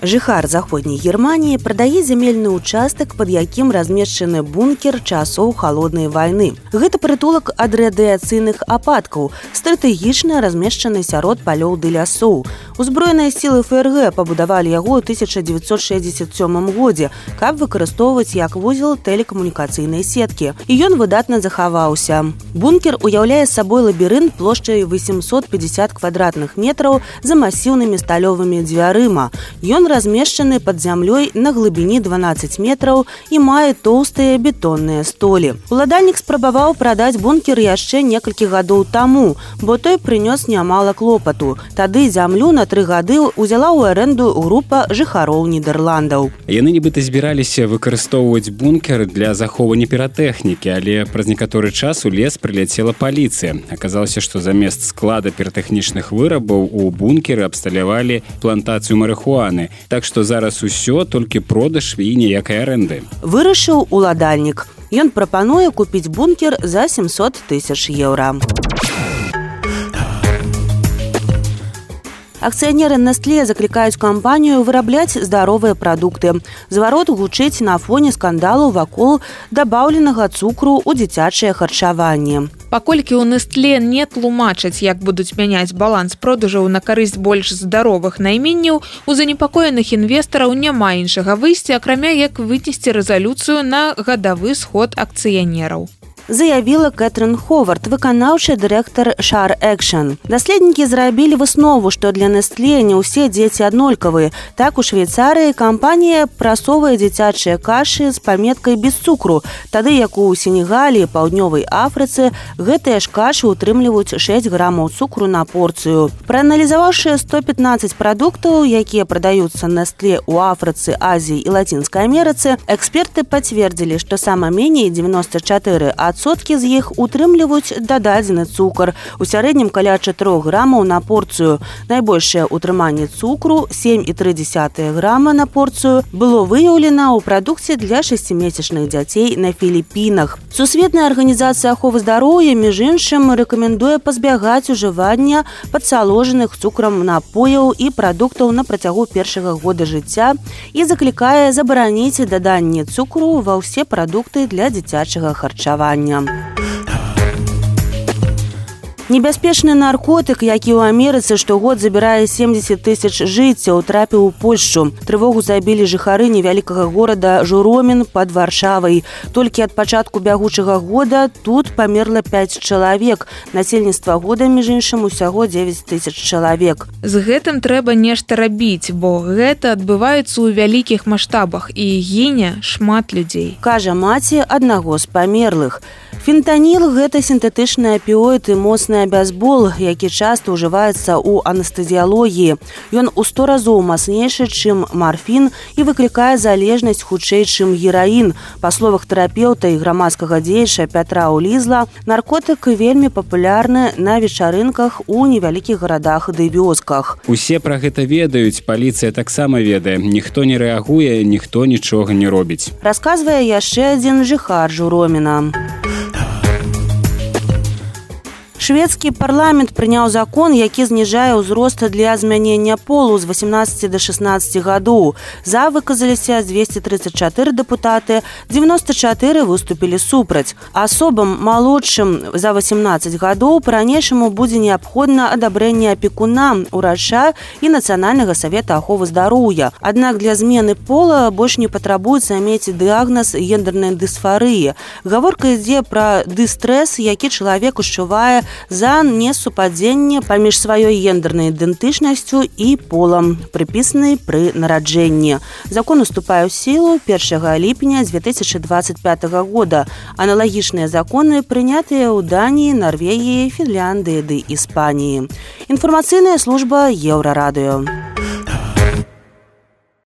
Жыхар заходняй Германии прадае зямельны участак, пад якім размешчаны бункер часоў халоднай вайны. Гэта прытулак ад радыяцыйных ападкаў, стратэгічна размешчаны сярод палёў ды лясоў. Узброеныя сілы ФРГ пабудавалі яго ў 1967 годзе, каб выкарыстоўваць як вузел тэлекамунікацыйнай сеткі. І ён выдатна захаваўся. Бункер уяўляе сабой лабірынт плошчай 850 квадратных метраў за масіўнымі сталёвымі дзвярыма. Ён размешчаны пад зямлёй на глыбіні 12 метраў і мае тоўстыя бетонныя столі. Уладальнік спрабаваў прадаць бункер яшчэ некалькі гадоў таму, бо той прынёс нямала клопату. Тады зямлю на 3 гады ўзяла ў арэнду група жыхароў Нідерландаў. Яны нібыта збіраліся выкарыстоўваць бункер для захоўвання піратэхнікі, але праз некаторы час у лес прыляцела паліцыя. Аказалася, што замест склада піратэхнічных вырабаў у бункеры абсталявалі плантацыю марыхуаны. Так што зараз усё толькі продаж і ніякай арэнды. Вырашыў уладальнік. Ён прапануе купіць бункер за 700 000 еўра. Акцыянеры Nestlé заклікаюць кампанію вырабляць здаровыя прадукты. Зварот гучыць на фоне скандалу вакол дабаўленага цукру ў дзіцячае харчаванне. Паколькі ў Nestlé не тлумачаць, як будуць мяняць баланс продажаў на карысць больш здаровых найменняў, у занепакоеных інвестараў няма іншага выйсця, акрамя як вынесці рэзалюцыю на гадавы сход акцыянераў. Заявіла Кэтрин Ховард, выканаўчы дырэктар Share Action. Даследнікі зрабілі выснову, што для Nestlé не ўсе дзеці аднолькавыя. Так у Швейцарыі кампанія прасоўвае дзіцячыя кашы з паметкай без цукру, тады як у Сенегале і Паўднёвай Афрыцы гэтыя ж кашы ўтрымліваюць 6 грамаў цукру на порцыю. Прааналізаваўшы 115 прадуктаў, якія прадаюцца Nestlé ў Афрыцы, Азіі і Лацінскай Амерыцы, эксперты пацвердзілі, што сама меней 94% з іх утрымліваюць дададзены цукар, у сярэднім каля 4 грамаў на порцыю. Найбольшае ўтрыманне цукру, 7,3 грама на порцыю, было выяўлена ў прадукце для 6-месячных дзяцей на Філіпінах. Сусветная арганізацыя аховы здароўя, між іншым, рэкамендуе пазбягаць ужывання падсаложаных цукрам напояў і прадуктаў на працягу першага года жыцця і заклікае забараніць даданне цукру ва ўсе прадукты для дзіцячага харчавання. Небяспечны наркотык, які ў Амерыцы штогод забірае 70 000 жыццяў, трапіў у Польшчу. Трывогу забілі жыхары невялікага горада Журомін пад Варшавай. Толькі ад пачатку бягучага года тут памерла 5 чалавек. Насельніцтва года, між іншым, усяго 9 000 чалавек. З гэтым трэба нешта рабіць, бо гэта адбываецца ў вялікіх маштабах і гіне шмат людзей. Кажа маці аднаго з памерлых. Фентаніл – гэта сінтэтычны апіоід і моцны абязбол, які часта ўжываецца ў анестэзіялогіі. Ён у 100 разоў мацнейшы, чым марфін і выклікае залежнасць хутчэй, чым гераін. Па словах тэрапеўта і грамадскага дзеяча Пятра Улізла, наркотык вельмі папулярны на вечарынках у невялікіх гарадах ды вёсках. Усе пра гэта ведаюць, паліцыя таксама ведае. Ніхто не рэагуе, ніхто нічога не робіць. Расказвае яшчэ адзін жыхар Журоміна. Шведскі парламент прыняў закон, які зніжае ўзрост для змянення полу з 18 до 16 гадоў. За выказаліся 234 дэпутаты, 94 выступілі супраць. Асобам малодшым за 18 гадоў па-ранейшаму будзе неабходна адабрэнне апекуна, урача і Нацыянальнага савета аховы здароўя. Аднак для змены пола больш не патрабуецца мець дыягназ гендернай дысфарыі. Гаворка ідзе пра дыстрэс, які чалавек адчувае за несупадзенне паміж сваёй гендернай ідэнтычнасцю і полам, прыпісанай пры нараджэнні. Закон уступае ў сілу 1 ліпеня 2025 года. Аналагічныя законы прынятыя ў Даніі, Нарвегіі, Фінляндыі ды Іспаніі. Інфармацыйная служба Еўрарадыё.